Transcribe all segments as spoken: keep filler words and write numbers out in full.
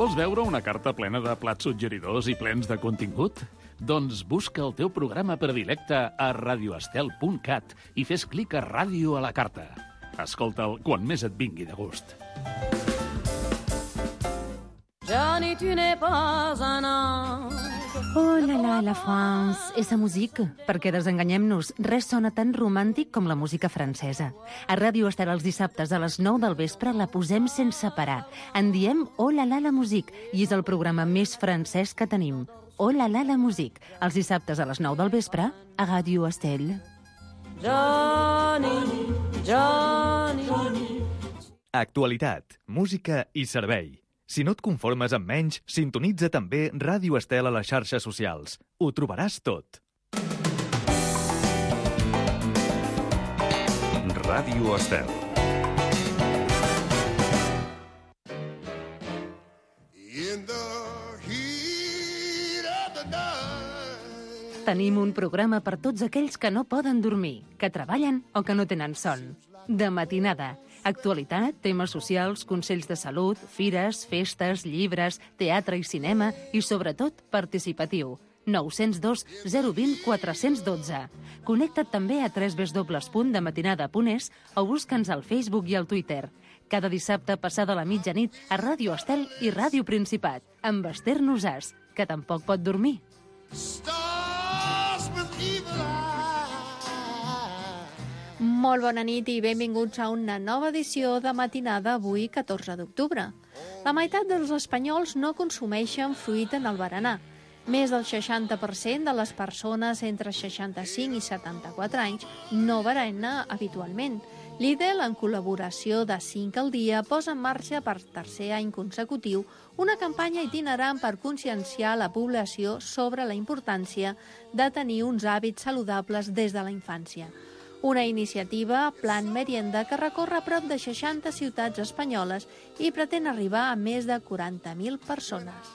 Vols veure una carta plena de plats suggeridors i plens de contingut? Doncs busca el teu programa predilecte a radioestel punt cat i fes clic a Ràdio a la carta. Escolta'l quan més et vingui de gust. Johnny, tu n'es pas un ange. Oh la la, la France, esa música. Perquè desenganyem-nos, res sona tan romàntic com la música francesa. A Ràdio Estel els dissabtes a les nou del vespre la posem sense parar. En diem Oh la la, la musique, i és el programa més francès que tenim. Oh la la, la musique, els dissabtes a les nou del vespre a Ràdio Estel. Johnny, Johnny, Johnny. Actualitat, música i servei. Si no et conformes amb menys, sintonitza també Ràdio Estel a les xarxes socials. Ho trobaràs tot. Ràdio Estel. Tenim un programa per tots aquells que no poden dormir, que treballen o que no tenen son. De matinada. Actualitat, temes socials, consells de salut, fires, festes, llibres, teatre i cinema i, sobretot, participatiu. nou zero dos zero dos zero quatre un dos. Connecta't també a w w w punt dematinada punt es o busca'ns al Facebook i al Twitter. Cada dissabte passada la mitjanit a Ràdio Estel i Ràdio Principat, amb Esther Nosàs, que tampoc pot dormir. Molt bona nit i benvinguts a una nova edició de Matinada avui, catorze d'octubre. La meitat dels espanyols no consumeixen fruita en el berenar. Més del seixanta per cent de les persones entre seixanta-cinc i setanta-quatre anys no berena habitualment. Lidl, en col·laboració de cinc al dia, posa en marxa per tercer any consecutiu una campanya itinerant per conscienciar la població sobre la importància de tenir uns hàbits saludables des de la infància. Una iniciativa, Plan Merienda, que recorre prop de seixanta ciutats espanyoles i pretén arribar a més de quaranta mil persones.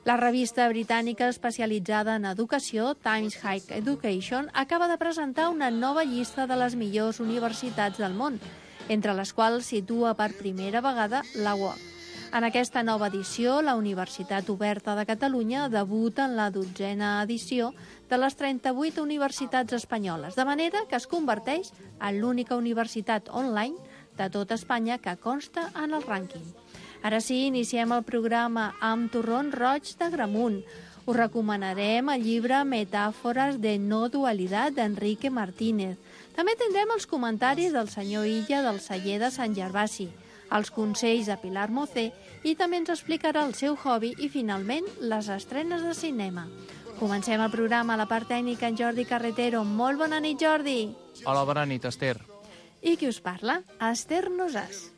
La revista britànica especialitzada en educació, Times Higher Education, acaba de presentar una nova llista de les millors universitats del món, entre les quals situa per primera vegada la U O C. En aquesta nova edició, la Universitat Oberta de Catalunya debuta en la dotzena edició de les trenta-vuit universitats espanyoles, de manera que es converteix en l'única universitat online de tot Espanya que consta en el rànquing. Ara sí, iniciem el programa amb Torrons Roig de Gramunt. Us recomanarem el llibre Metàfores de no dualitat d'Enrique Martínez. També tindrem els comentaris del senyor Illa del celler de Sant Gervasi, els consells de Pilar Mocé i també ens explicarà el seu hobby i, finalment, les estrenes de cinema. Comencem el programa a la part tècnica en Jordi Carretero. Molt bona nit, Jordi. Hola, bona nit, Esther. I qui us parla? Esther Nosàs.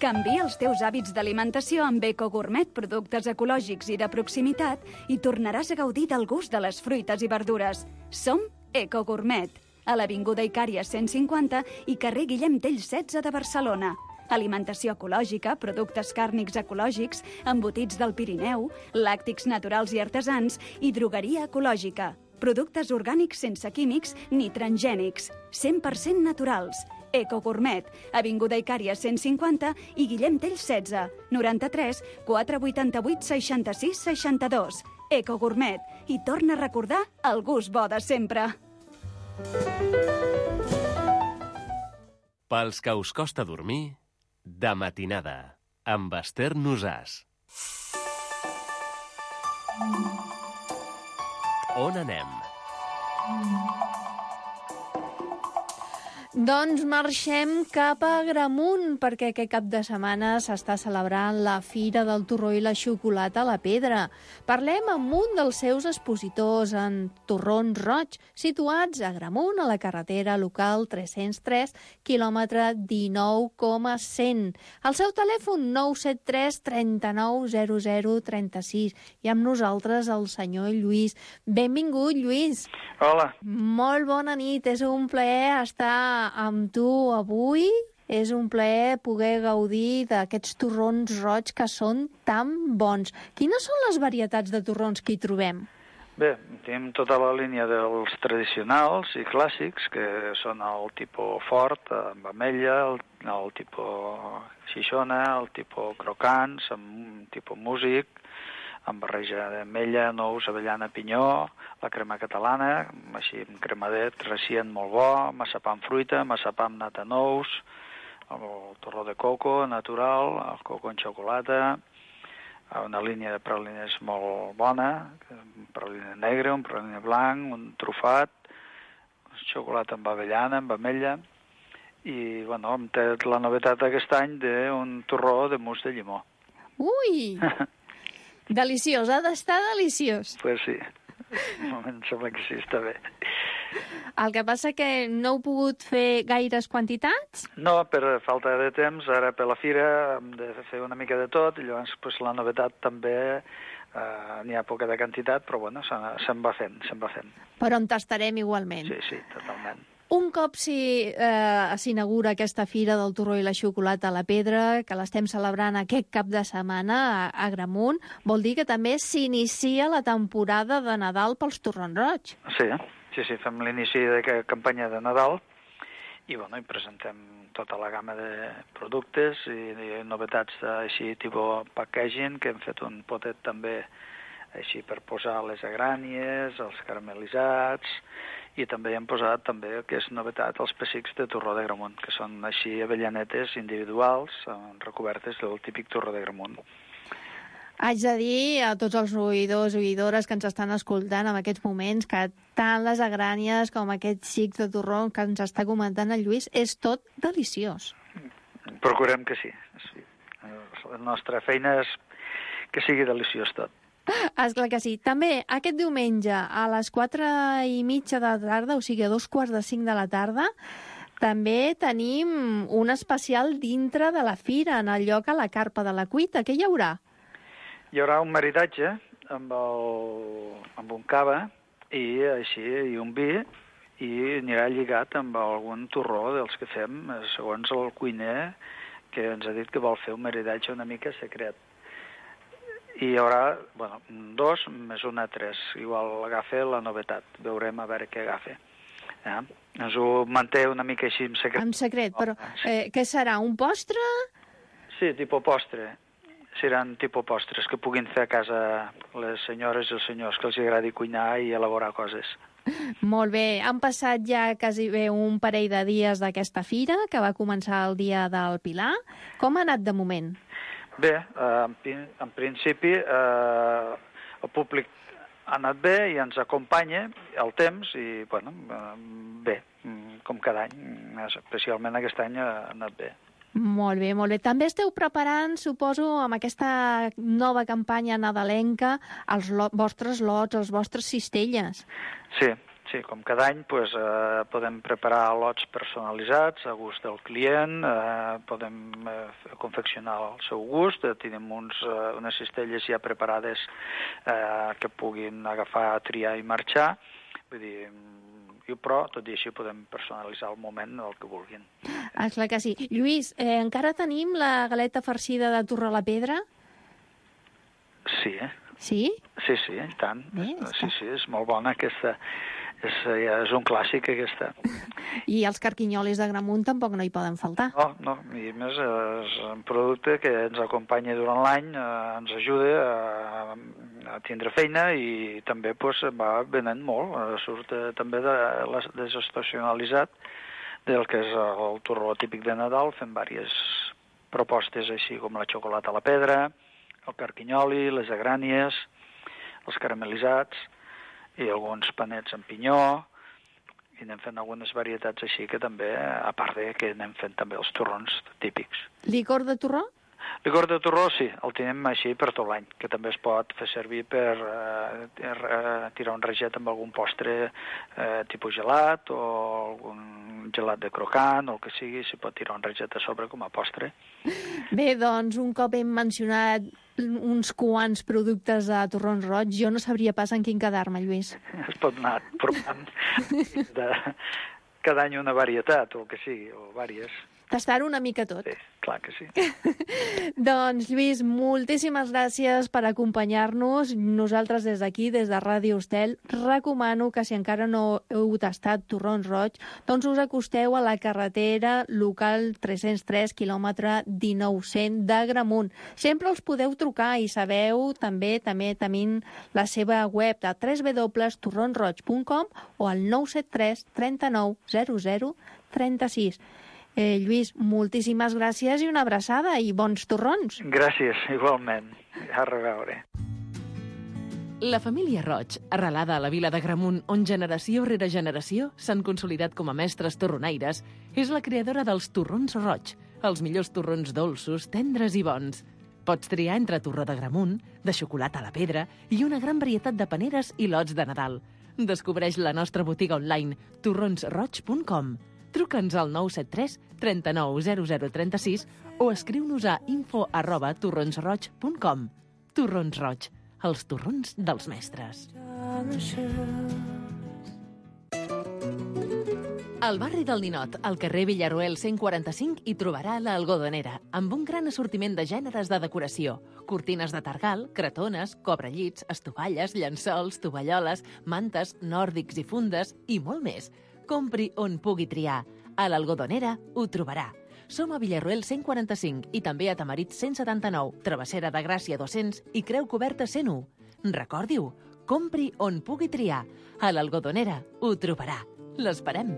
Canvia els teus hàbits d'alimentació amb Eco Gourmet, productes ecològics i de proximitat, i tornaràs a gaudir del gust de les fruites i verdures. Som Eco Gourmet, a l'Avinguda Icària cent cinquanta i carrer Guillem Tell setze de Barcelona. Alimentació ecològica, productes càrnics ecològics, embotits del Pirineu, làctics naturals i artesans i drogueria ecològica. Productes orgànics sense químics ni transgènics, cent per cent naturals. Eco Gourmet, Avinguda Icària cent cinquanta i Guillem Tell setze, noranta-tres quatre vuitanta-vuit seixanta-sis seixanta-dos. Eco Gourmet, i torna a recordar el gust bo de sempre. Pels que us costa dormir, de matinada, amb Esther Nosàs. On anem? Doncs marxem cap a Gramunt, perquè aquest cap de setmana s'està celebrant la Fira del Torró i la Xocolata a la Pedra. Parlem amb un dels seus expositors, en Torrons Roig, situats a Gramunt, a la carretera local tres-cents tres, quilòmetre dinou coma cent. El seu telèfon nou set tres trenta-nou zero zero trenta-sis. I amb nosaltres el senyor Lluís. Benvingut, Lluís. Hola. Molt bona nit, és un plaer estar amb tu avui és un plaer poder gaudir d'aquests torrons roig que són tan bons. Quines són les varietats de torrons que hi trobem? Bé, tenim tota la línia dels tradicionals i clàssics, que són el tipus fort, amb ametlla, el, el tipus xixona, el tipus crocants, amb tipus músic, amb barreja d'ametlla, nous, avellana, pinyó, la crema catalana, així amb cremadet recient molt bo, massapà amb fruita, massapà amb nata nous, el torró de coco natural, el coco en xocolata, una línia de pralines molt bona, un praline negre, un praline blanc, un trufat, xocolata amb avellana, amb ametlla, i bueno, hem tret la novetat aquest any d'un torró de mousse de llimó. Ui! Deliciós, ha d'estar deliciós. Pues sí, em sembla que sí, està bé. El que passa que no heu pogut fer gaires quantitats? No, per falta de temps, ara per la fira hem de fer una mica de tot, i llavors pues, la novetat també eh, n'hi ha poca de quantitat, però bueno, se'n va fent, se'n va fent. Però en tastarem igualment. Sí, sí, totalment. Un cop s'inaugura eh, aquesta Fira del Torró i la Xocolata a la Pedra, que l'estem celebrant aquest cap de setmana a, a Agramunt, vol dir que també s'inicia la temporada de Nadal pels torrons roig. Sí, sí, sí, fem l'inici de campanya de Nadal i, bueno, hi presentem tota la gamma de productes i, i novetats així, tipus packaging, que hem fet un potet també així per posar les agrànies, els caramelitzats, i també hem posat també, que és novetat, els pessics de torró de Gramunt, que són així avellanetes individuals recobertes del típic torró de Gramunt. Haig de dir a tots els oïdors i oïdores que ens estan escoltant en aquests moments que tant les agrànies com aquests xics de torró que ens està comentant el Lluís és tot deliciós. Procurem que sí. sí. La nostra feina és que sigui deliciós tot. Esclar que sí. També aquest diumenge a les quatre i mitja de la tarda, o sigui a dos quarts de cinc de la tarda, també tenim un especial dintre de la fira, en el lloc a la Carpa de la Cuita. Què hi haurà? Hi haurà un maridatge amb, el, amb un cava i així i un vi, i anirà lligat amb algun torró dels que fem, segons el cuiner, que ens ha dit que vol fer un maridatge una mica secret. I hi haurà, bueno, dos més una tres. Igual agafa la novetat. Veurem a veure què agafa. Eh? Ens ho manté una mica així en secret. En secret, però eh, què serà? Un postre? Sí, tipus postre. Seran tipus postres que puguin fer a casa les senyores i els senyors que els agradi cuinar i elaborar coses. Molt bé. Han passat ja quasi bé un parell de dies d'aquesta fira, que va començar el dia del Pilar. Com ha anat de moment? Bé, eh, en, en principi eh, el públic ha anat bé i ens acompanya el temps i, bueno, eh, bé, com cada any, especialment aquest any ha anat bé. Molt bé, molt bé. També esteu preparant, suposo, amb aquesta nova campanya nadalenca, els lo- vostres lots, els vostres cistelles. Sí, sí, com cada any pues, eh, podem preparar lots personalitzats a gust del client, eh, podem eh, confeccionar al seu gust, eh, tenim uns, eh, unes cistelles ja preparades eh, que puguin agafar, triar i marxar, vull dir, i, però tot i així podem personalitzar al moment el que vulguin. Ah, clar que sí. Lluís, eh, encara tenim la galeta farcida de Torró a la Pedra? Sí, eh? Sí? Sí, sí, i tant. Bé, sí, sí, és molt bona aquesta. És, ja és un clàssic, aquesta. I els carquinyolis de Gramunt tampoc no hi poden faltar. No, no, i a més és un producte que ens acompanya durant l'any, eh, ens ajuda a, a tindre feina i també pues, va venent molt, eh, surt eh, també de, de, desestacionalitzat del que és el torró típic de Nadal, fent diverses propostes així com la xocolata a la pedra, el carquinyoli, les agrànies, els caramelitzats i alguns panets amb pinyó, i anem fent algunes varietats així que també, a part de que anem fent també els torrons típics. Licor de torró? Licor de torró, sí, el tenim així per tot l'any, que també es pot fer servir per eh, tirar un reget amb algun postre eh, tipus gelat o algun gelat de crocant o el que sigui, s'hi pot tirar un reget a sobre com a postre. Bé, doncs, un cop hem mencionat uns quants productes de torrons roig, jo no sabria pas en quin quedar-me, Lluís. Es pot anar provant de, cada any una varietat, o el que sigui, o vàries. Tastar una mica tot. Sí, clar que sí. Doncs, Lluís, moltíssimes gràcies per acompanyar-nos. Nosaltres des d'aquí, des de Ràdio Estel, recomano que si encara no heu tastat torrons roig, doncs us acosteu a la carretera local tres-cents tres, quilòmetre dinou cent d'Agramunt. Sempre els podeu trucar i sabeu també també tenint la seva web de w w w punt torrons roig punt com o al nou set tres trenta-nou zero zero trenta-sis. Eh, Lluís, moltíssimes gràcies i una abraçada i bons torrons. Gràcies, igualment. A reveure. La família Roig, arrelada a la vila d'Agramunt, on generació rere generació s'han consolidat com a mestres torronaires, és la creadora dels torrons Roig, els millors torrons dolços, tendres i bons. Pots triar entre torró d'Agramunt, de xocolata a la pedra i una gran varietat de paneres i lots de Nadal. Descobreix la nostra botiga online torrons roig punt com. Truca'ns al nou set tres trenta-nou zero zero trenta-sis o escriu-nos a info arroba torrons roig punt com. Torrons Roig, els torrons dels mestres. Al barri del Ninot, al carrer Villaruel cent quaranta-cinc, hi trobarà l'Algodonera, amb un gran assortiment de gèneres de decoració. Cortines de targal, cretones, cobrellits, estovalles, llençols, tovalloles, mantes, nòrdics i fundes i molt més. Compri on pugui triar. A l'Algodonera ho trobarà. Som a Villarroel cent quaranta-cinc i també a Tamarit cent setanta-nou, Travessera de Gràcia dos-cents i Creu Coberta cent u. Recordi-ho, compri on pugui triar. A l'Algodonera ho trobarà. L'esperem.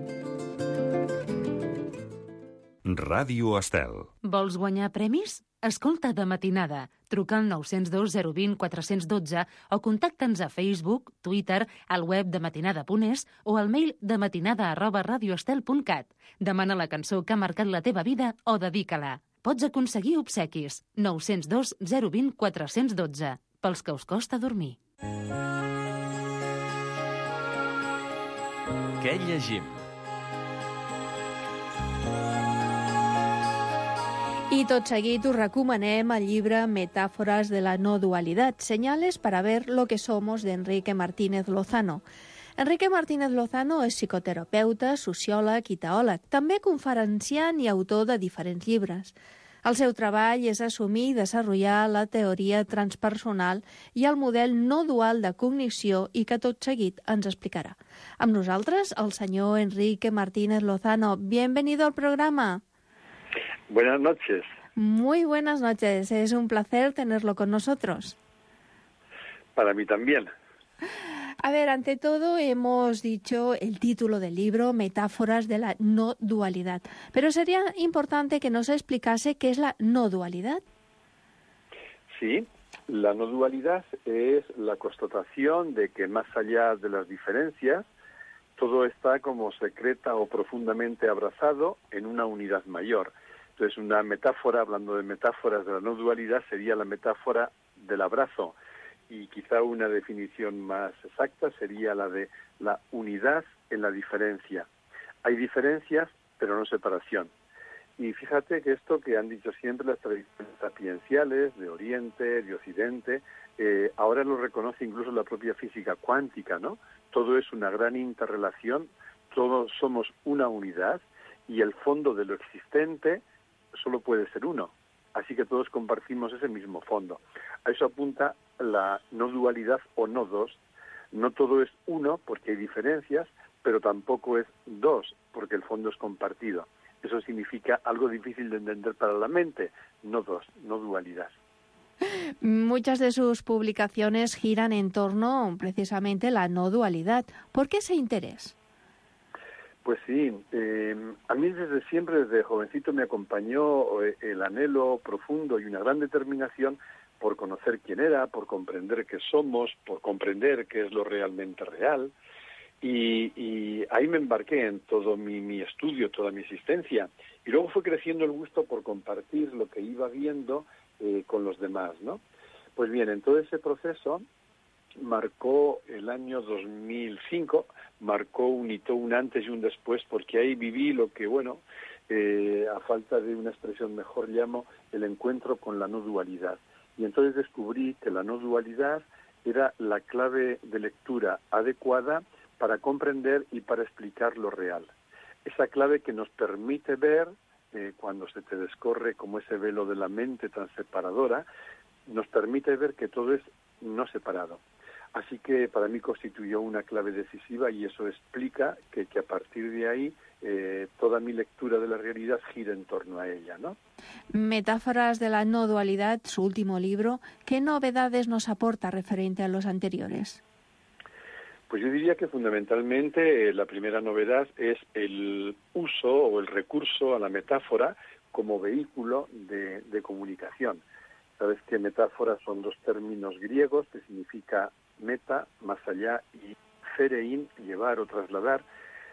Ràdio Estel. Vols guanyar premis? Escolta de matinada. Truca al nou zero dos zero dos zero quatre un dos o contacta'ns a Facebook, Twitter, al web de matinada punt es o al mail de matinada arroba radioestel punt cat. Demana la cançó que ha marcat la teva vida o dedica-la. Pots aconseguir obsequis. nou zero dos zero dos zero quatre un dos. Pels que us costa dormir. Què llegim? I tot seguit us recomanem el llibre Metáforas de la no dualidad, señales para ver lo que somos, de Enrique Martínez Lozano. Enrique Martínez Lozano és psicoterapeuta, sociòleg i teòleg, també conferenciant i autor de diferents llibres. El seu treball és assumir i desenvolupar la teoria transpersonal i el model no dual de cognició i que tot seguit ens explicarà. Amb nosaltres, el senyor Enrique Martínez Lozano. Bienvenido al programa. Buenas noches. Muy buenas noches. Es un placer tenerlo con nosotros. Para mí también. A ver, ante todo hemos dicho el título del libro, Metáforas de la no dualidad. Pero sería importante que nos explicase qué es la no dualidad. Sí, la no dualidad es la constatación de que más allá de las diferencias, todo está como secreta o profundamente abrazado en una unidad mayor. Entonces, una metáfora, hablando de metáforas de la no dualidad, sería la metáfora del abrazo. Y quizá una definición más exacta sería la de la unidad en la diferencia. Hay diferencias, pero no separación. Y fíjate que esto que han dicho siempre las tradiciones sapienciales de Oriente, de Occidente, eh, ahora lo reconoce incluso la propia física cuántica, ¿no? Todo es una gran interrelación, todos somos una unidad y el fondo de lo existente solo puede ser uno. Así que todos compartimos ese mismo fondo. A eso apunta la no dualidad o no dos. No todo es uno porque hay diferencias, pero tampoco es dos porque el fondo es compartido. Eso significa algo difícil de entender para la mente, no dos, no dualidad. Muchas de sus publicaciones giran en torno precisamente a la no dualidad. ¿Por qué ese interés? Pues sí, eh, a mí desde siempre, desde jovencito, me acompañó el anhelo profundo y una gran determinación por conocer quién era, por comprender qué somos, por comprender qué es lo realmente real. Y, y ahí me embarqué en todo mi, mi estudio, toda mi existencia. Y luego fue creciendo el gusto por compartir lo que iba viendo eh, con los demás, ¿no? Pues bien, en todo ese proceso marcó el año dos mil cinco, marcó un hito, un antes y un después, porque ahí viví lo que, bueno, eh, a falta de una expresión mejor llamo el encuentro con la no dualidad. Y entonces descubrí que la no dualidad era la clave de lectura adecuada para comprender y para explicar lo real. esa clave que nos permite ver, eh, cuando se te descorre como ese velo de la mente tan separadora, nos permite ver que todo es no separado. Así que para mí constituyó una clave decisiva y eso explica que, que a partir de ahí eh, toda mi lectura de la realidad gira en torno a ella, ¿no? Metáforas de la no dualidad, su último libro, ¿qué novedades nos aporta referente a los anteriores? Pues yo diría que fundamentalmente eh, la primera novedad es el uso o el recurso a la metáfora como vehículo de, de comunicación. Sabes que metáforas son dos términos griegos que significa meta, más allá, y ferein, llevar o trasladar.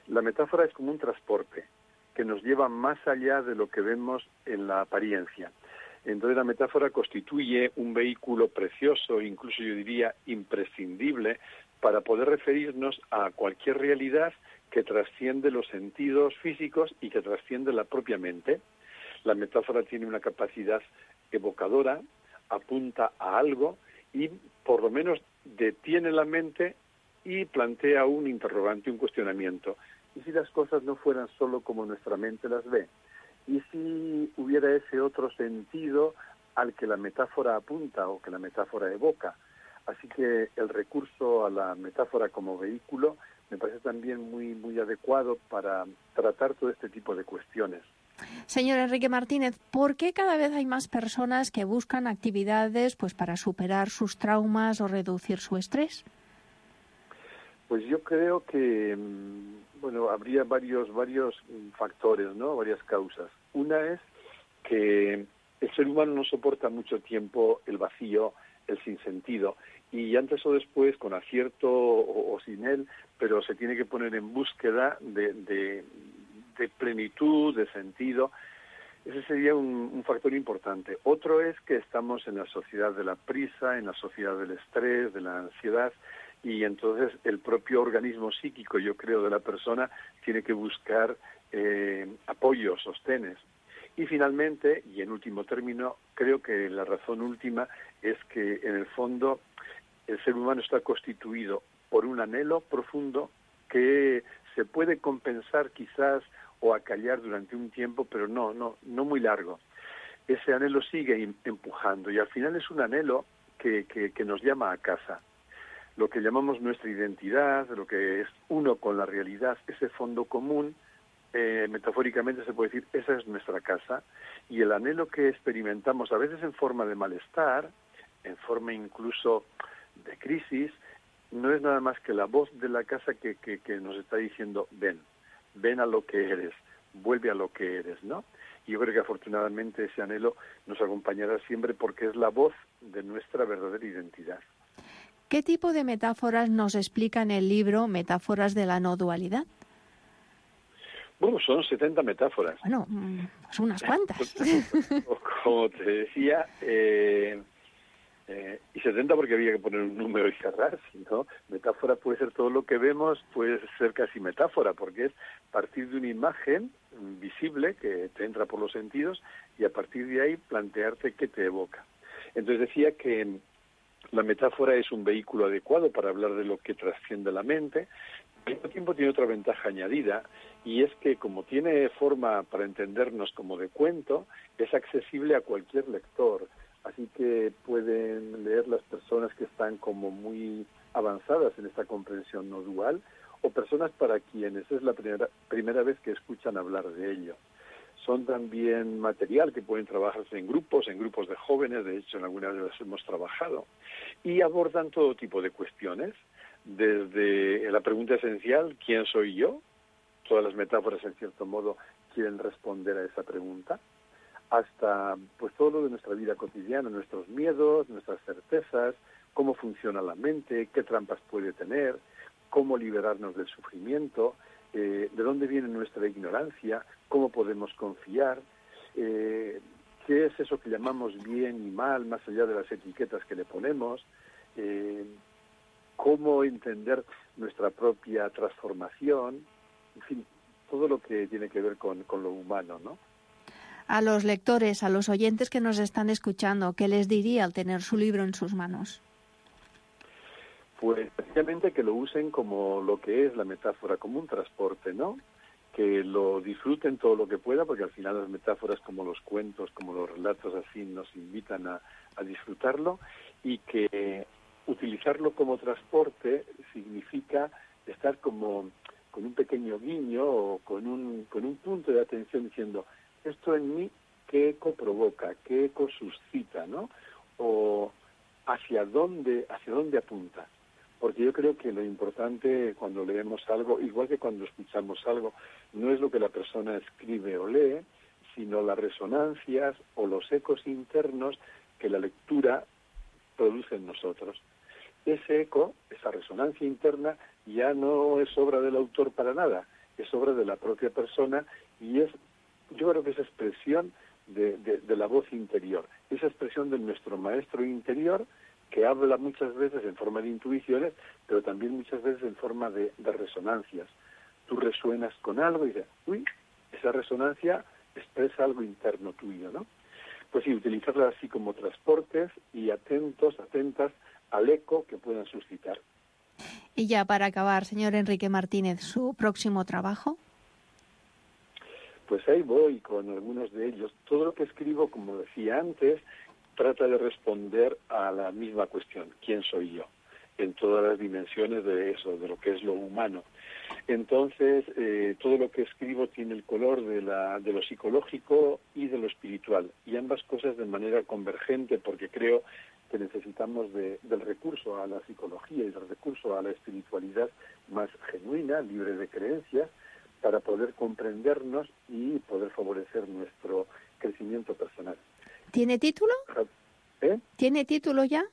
La metáfora es como un transporte que nos lleva más allá de lo que vemos en la apariencia. Entonces la metáfora constituye un vehículo precioso, incluso yo diría imprescindible, para poder referirnos a cualquier realidad que trasciende los sentidos físicos y que trasciende la propia mente. La metáfora tiene una capacidad evocadora, apunta a algo y por lo menos detiene la mente y plantea un interrogante, un cuestionamiento. ¿Y si las cosas no fueran solo como nuestra mente las ve? ¿Y si hubiera ese otro sentido al que la metáfora apunta o que la metáfora evoca? Así que el recurso a la metáfora como vehículo me parece también muy, muy adecuado para tratar todo este tipo de cuestiones. Señor Enrique Martínez, ¿por qué cada vez hay más personas que buscan actividades pues para superar sus traumas o reducir su estrés? Pues yo creo que, bueno, habría varios, varios factores, ¿no? Varias causas. Una es que el ser humano no soporta mucho tiempo el vacío, el sinsentido, y antes o después, con acierto o, o sin él, pero se tiene que poner en búsqueda de, de, de plenitud, de sentido. Ese sería un, un factor importante. Otro es que estamos en la sociedad de la prisa, en la sociedad del estrés, de la ansiedad, y entonces el propio organismo psíquico, yo creo, de la persona tiene que buscar eh, apoyo, sostenes. Y finalmente, y en último término, creo que la razón última es que en el fondo el ser humano está constituido por un anhelo profundo que se puede compensar quizás o acallar durante un tiempo, pero no, no, no muy largo. Ese anhelo sigue empujando y al final es un anhelo que, que, que nos llama a casa. Lo que llamamos nuestra identidad, lo que es uno con la realidad, ese fondo común, eh, metafóricamente se puede decir, esa es nuestra casa, y el anhelo que experimentamos a veces en forma de malestar, en forma incluso de crisis, no es nada más que la voz de la casa que, que, que nos está diciendo, ven, ven a lo que eres, vuelve a lo que eres, ¿no? Y yo creo que afortunadamente ese anhelo nos acompañará siempre porque es la voz de nuestra verdadera identidad. ¿Qué tipo de metáforas nos explica en el libro Metáforas de la no dualidad? Bueno, son setenta metáforas. Bueno, son unas cuantas. Como te decía, eh, eh, y setenta porque había que poner un número y cerrar, ¿no? Metáfora puede ser todo lo que vemos, puede ser casi metáfora, porque es partir de una imagen visible que te entra por los sentidos y a partir de ahí plantearte qué te evoca. Entonces decía que la metáfora es un vehículo adecuado para hablar de lo que trasciende la mente. Al mismo tiempo tiene otra ventaja añadida, y es que como tiene forma para entendernos como de cuento, es accesible a cualquier lector. Así que pueden leer las personas que están como muy avanzadas en esta comprensión no dual, o personas para quienes es la primera, primera vez que escuchan hablar de ello. Son también material que pueden trabajarse en grupos, en grupos de jóvenes, de hecho en algunas de las hemos trabajado, y abordan todo tipo de cuestiones, desde la pregunta esencial, ¿quién soy yo? Todas las metáforas, en cierto modo, quieren responder a esa pregunta, hasta pues todo lo de nuestra vida cotidiana, nuestros miedos, nuestras certezas, cómo funciona la mente, qué trampas puede tener, cómo liberarnos del sufrimiento, eh, de dónde viene nuestra ignorancia, cómo podemos confiar, eh, qué es eso que llamamos bien y mal, más allá de las etiquetas que le ponemos, eh, cómo entender nuestra propia transformación, en fin, todo lo que tiene que ver con, con lo humano, ¿no? A los lectores, a los oyentes que nos están escuchando, ¿qué les diría al tener su libro en sus manos? Pues precisamente que lo usen como lo que es la metáfora, como un transporte, ¿no? que lo disfruten todo lo que pueda, porque al final las metáforas como los cuentos, como los relatos así nos invitan a, a disfrutarlo, y que utilizarlo como transporte significa estar como con un pequeño guiño o con un, con un punto de atención diciendo, esto en mí, ¿qué eco provoca? ¿Qué eco suscita? ¿No? O hacia dónde, hacia dónde apunta. Porque yo creo que lo importante cuando leemos algo, igual que cuando escuchamos algo, no es lo que la persona escribe o lee, sino las resonancias o los ecos internos que la lectura produce en nosotros. Ese eco, esa resonancia interna, ya no es obra del autor para nada, es obra de la propia persona y es, yo creo que es expresión de, de, de la voz interior, esa expresión de nuestro maestro interior, que habla muchas veces en forma de intuiciones, pero también muchas veces en forma de, de resonancias. Tú resuenas con algo y dices, uy, esa resonancia expresa algo interno tuyo, ¿no? Pues sí, utilizarla así como transportes y atentos, atentas al eco que puedan suscitar. Y ya para acabar, señor Enrique Martínez, ¿su próximo trabajo? Pues ahí voy con algunos de ellos. Todo lo que escribo, como decía antes, trata de responder a la misma cuestión, ¿quién soy yo? En todas las dimensiones de eso, de lo que es lo humano. Entonces, eh, todo lo que escribo tiene el color de, la, de lo psicológico y de lo espiritual, y ambas cosas de manera convergente, porque creo que necesitamos de, del recurso a la psicología y del recurso a la espiritualidad más genuina, libre de creencias, para poder comprendernos y poder favorecer nuestro crecimiento personal. ¿Tiene título? ¿Eh? ¿Tiene título ya?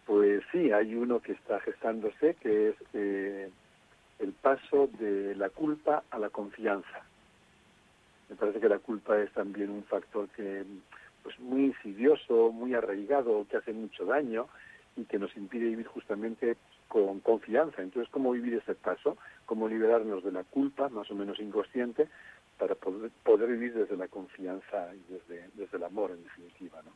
Pues sí, hay uno que está gestándose, que es eh, el paso de la culpa a la confianza. Me parece que la culpa es también un factor que, pues, muy insidioso, muy arraigado, que hace mucho daño y que nos impide vivir justamente con confianza. Entonces, ¿cómo vivir ese paso? ¿Cómo liberarnos de la culpa, más o menos inconsciente, para poder, poder vivir desde la confianza y desde, desde el amor, en definitiva, ¿no?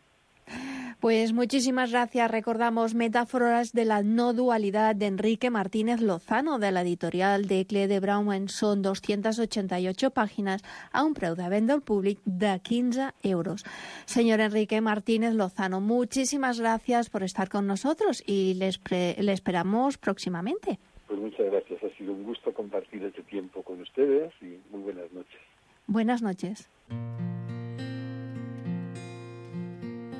Pues muchísimas gracias. Recordamos Metáforas de la no dualidad de Enrique Martínez Lozano, de la editorial de Cle de Brauman. Són doscientas ochenta y ocho páginas a un preu de venda al públic de quinze euros. Señor Enrique Martínez Lozano, muchísimas gracias por estar con nosotros y le, le esperamos próximamente. Pues muchas gracias. Ha sido un gusto compartir este tiempo con ustedes y muy buenas noches. Buenas noches.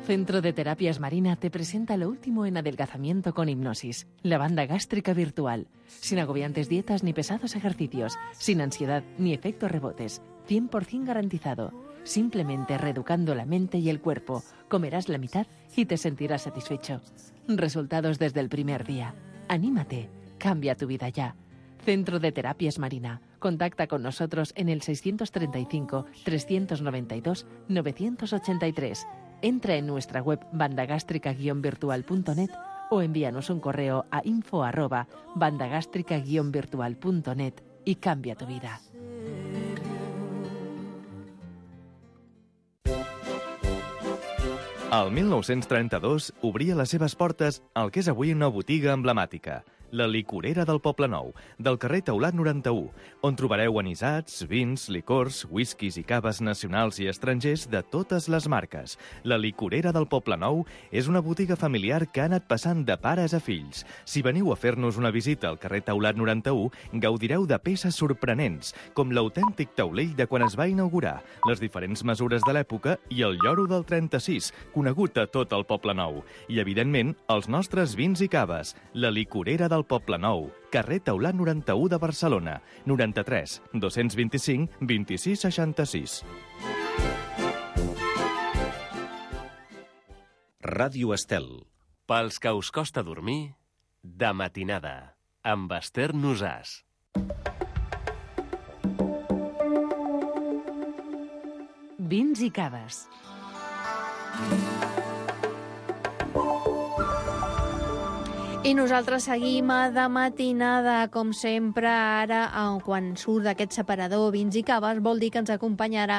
Centro de Terapias Marina te presenta lo último en adelgazamiento con hipnosis, la banda gástrica virtual, sin agobiantes dietas ni pesados ejercicios, sin ansiedad ni efectos rebotes, cien por ciento garantizado. Simplemente reeducando la mente y el cuerpo, comerás la mitad y te sentirás satisfecho. Resultados desde el primer día. Anímate, cambia tu vida ya. Centro de Terapias Marina. Contacta con nosotros en el seiscientos treinta y cinco, trescientos noventa y dos, novecientos ochenta y tres. Entra en nuestra web bandagástrica guion virtual punto net o envíanos un correo a info arroba bandagástrica guion virtual punto net y cambia tu vida. El mil nou-cents trenta-dos obria les seves portes al que és avui una botiga emblemàtica, la Licorera del Poblenou, del carrer Teulat noranta-u, on trobareu anisats, vins, licors, whiskies i caves nacionals i estrangers de totes les marques. La Licorera del Poblenou és una botiga familiar que ha anat passant de pares a fills. Si veniu a fer-nos una visita al carrer Teulat noranta-u, gaudireu de peces sorprenents, com l'autèntic taulell de quan es va inaugurar, les diferents mesures de l'època i el lloro del trenta-sis, conegut a tot el Poblenou. I, evidentment, els nostres vins i caves. La Licorera del Poblenou, carrer Teulat noranta-u de Barcelona, noranta-tres, dos-cents vint-i-cinc, vint-i-sis seixanta-sis. Ràdio Estel. Pels que us costa dormir, de matinada, amb Esther Nosàs. Vins i caves. I nosaltres seguim a De Matinada, com sempre. Ara, quan surt d'aquest separador vins i caves, vol dir que ens acompanyarà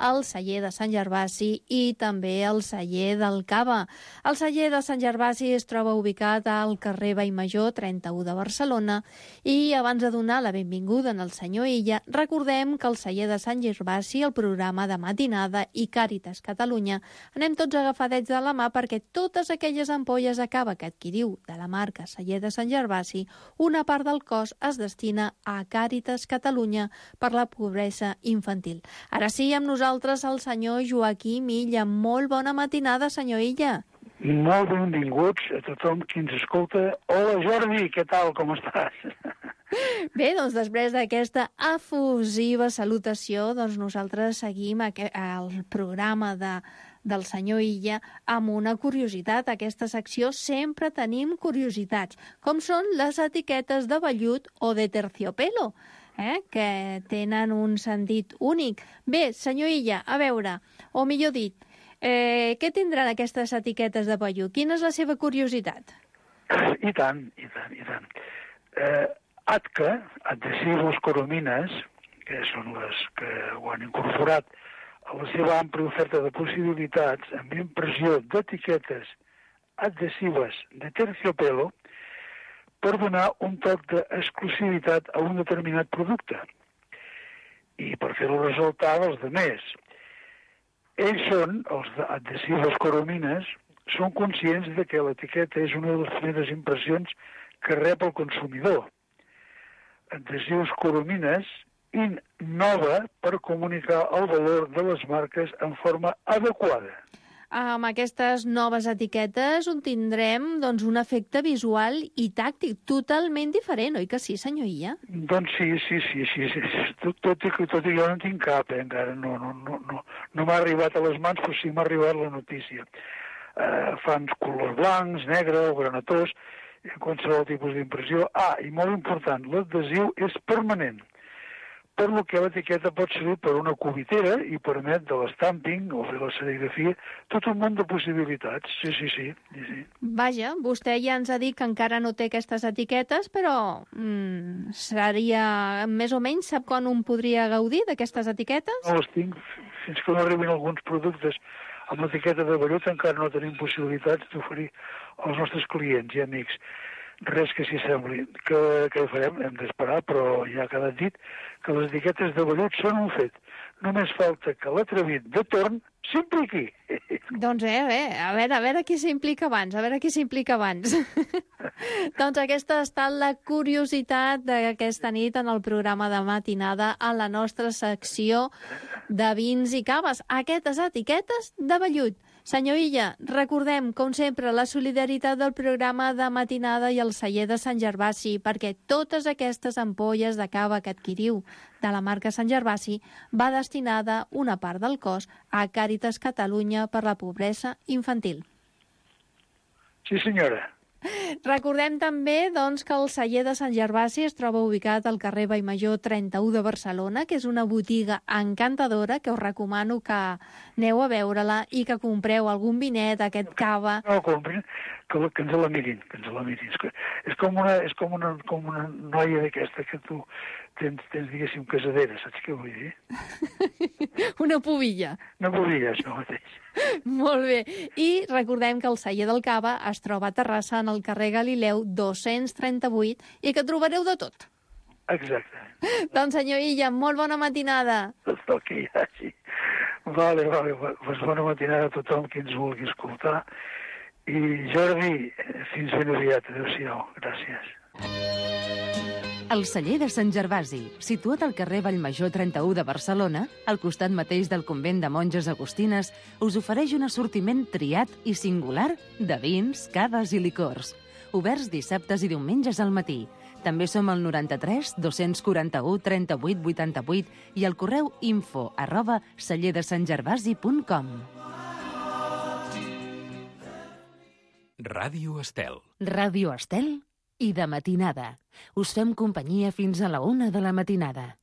el celler de Sant Gervasi i també el celler del Cava. El celler de Sant Gervasi es troba ubicat al carrer Vallmajor trenta-u de Barcelona i abans de donar la benvinguda al senyor Illa, recordem que el celler de Sant Gervasi, el programa De Matinada i Càritas Catalunya, anem tots agafadets de la mà perquè totes aquelles ampolles de cava que adquiriu de la marca celler de Sant Gervasi, una part del cost es destina a Càritas Catalunya per la pobresa infantil. Ara sí, amb nosaltres el senyor Joaquim Illa. Molt bona matinada, senyor Illa. Molt benvinguts a tothom qui ens escolta. Hola, Jordi, què tal, com estàs? Bé, doncs després d'aquesta efusiva salutació, doncs nosaltres seguim el programa de del senyor Illa amb una curiositat. A aquesta secció sempre tenim curiositats, com són les etiquetes de vellut o de terciopelo, eh? que tenen un sentit únic. Bé, senyor Illa, a veure, o millor dit, eh, què tindran aquestes etiquetes de vellut? Quina és la seva curiositat? I tant, i tant, i tant. Eh, A T C A, Adhesivos Coromines, que són les que ho han incorporat a la seva àmplia oferta de possibilitats amb impressió d'etiquetes adhesives de terciopelo per donar un toc d'exclusivitat a un determinat producte i per fer-lo ressaltar dels demés. Ells són, els adhesivos Coromines, són conscients de que l'etiqueta és una de les primeres impressions que rep el consumidor. Adhesivos Coromines innova per comunicar el valor de les marques en forma adequada. Amb aquestes noves etiquetes on tindrem doncs, un efecte visual i tàctic totalment diferent, oi que sí, senyor Illa? Doncs sí, sí, sí, sí, sí. Tot, tot, i, tot i jo no en tinc cap, eh, encara no, no, no, no, no m'ha arribat a les mans, però sí m'ha arribat la notícia. Uh, fan colors blancs, negre o granatós, qualsevol tipus d'impressió. Ah, i molt important, l'adhesiu és permanent, per lo que l'etiqueta pot servir per una cubitera i permet de l'estamping o fer la serigrafia, tot un munt de possibilitats. Sí, sí, sí. sí, sí. Vaja, vostè ja ens ha dit que encara no té aquestes etiquetes, però mm, seria, més o menys, sap quan un podria gaudir d'aquestes etiquetes? No les tinc, fins que no arribin alguns productes amb l'etiqueta de vellut encara no tenim possibilitats d'oferir als nostres clients i amics. Res que s'hi sembli. Què, què farem? Hem d'esperar, però ja ha quedat dit que les etiquetes de vellut són un fet. Només falta que l'atrevit de torn s'impliqui. Doncs eh, bé, a veure, a veure qui s'implica abans, a veure qui s'implica abans. Doncs aquesta ha estat la curiositat d'aquesta nit en el programa de matinada a la nostra secció de vins i caves. Aquestes etiquetes de vellut. Senyor Illa, recordem, com sempre, la solidaritat del programa de matinada i el celler de Sant Gervasi, perquè totes aquestes ampolles de cava que adquiriu de la marca Sant Gervasi va destinada una part del cost a Càritas Catalunya per la pobresa infantil. Sí, senyora. Recordem també doncs, que el celler de Sant Gervasi es troba ubicat al carrer Vallmajor trenta-u de Barcelona, que és una botiga encantadora, que us recomano que aneu a veure-la i que compreu algun vinet, aquest cava. No, comprin, que, que ens la mirin, que ens la mirin. És, que, és, com, una, és com, una, com una noia d'aquesta que tu tens, tens, diguéssim, casadera, saps què vull dir? Una pubilla. Una pubilla, això mateix. Molt bé. I recordem que el celler del Cava es troba a Terrassa, en el carrer Galileu dos-cents trenta-vuit, i que trobareu de tot. Exacte. Doncs, senyor Illa, molt bona matinada. Tot el que hi hagi. Vale, vale. Pues bona matinada a tothom qui ens vulgui escoltar. I, Jordi, fins ben aviat. Adéu-siau. Gràcies. El celler de Sant Gervasi, situat al carrer Vallmajor trenta-u de Barcelona, al costat mateix del convent de monges agustines, us ofereix un assortiment triat i singular de vins, caves i licors. Oberts dissabtes i diumenges al matí. També som al noranta-tres dos-cents quaranta-u trenta-vuit vuitanta-vuit i al correu info arroba celler de sant gervasi punt com. Ràdio Estel. Ràdio Estel i de matinada. Us fem companyia fins a la una de la matinada.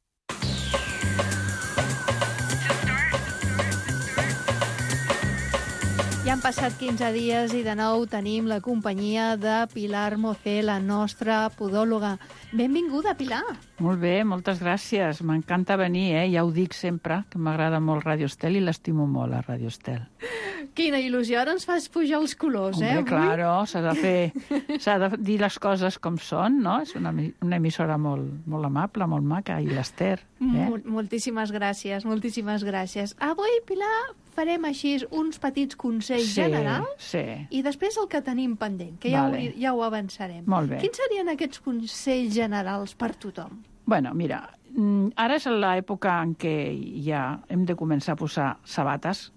Ja han passat quinze dies i de nou tenim la companyia de Pilar Mocé, la nostra podòloga. Benvinguda, Pilar. Molt bé, moltes gràcies. M'encanta venir, eh? Ja ho dic sempre, que m'agrada molt Ràdio Estel i l'estimo molt, a Ràdio Estel. Quina il·lusió, ara ens fas pujar els colors, Hombre, eh? Hombre, claro, s'ha de fer... S'ha de dir les coses com són, no? És una, una emissora molt, molt amable, molt maca, i l'Ester. Eh? Mol moltíssimes gràcies, moltíssimes gràcies. Avui, Pilar, farem així uns petits consells sí, generals sí. i després el que tenim pendent, que ja, vale. ho, ja ho avançarem. Molt bé. Quins serien aquests consells generals per tothom? Bueno, mira, ara és l'època en què ja hem de començar a posar sabates,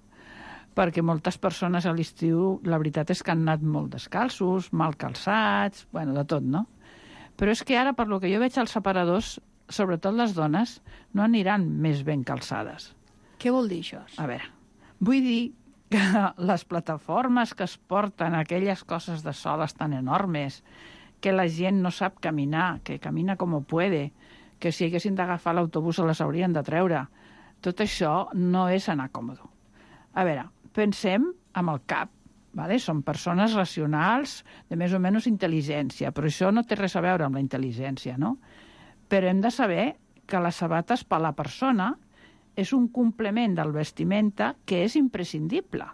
perquè moltes persones a l'estiu, la veritat és que han anat molt descalços, mal calçats, bueno, de tot, no? Però és que ara, per lo que jo veig als separadors, sobretot les dones, no aniran més ben calçades. Què vol dir això? A veure, vull dir que les plataformes que es porten, aquelles coses de soles tan enormes, que la gent no sap caminar, que camina com puede, que si haguessin d'agafar l'autobús se les haurien de treure, tot això no és anar còmode. A veure, pensem amb el cap, vale? Són persones racionals de més o menys intel·ligència, però això no té res a veure amb la intel·ligència, no? Però hem de saber que les sabates per a la persona és un complement del vestimenta que és imprescindible.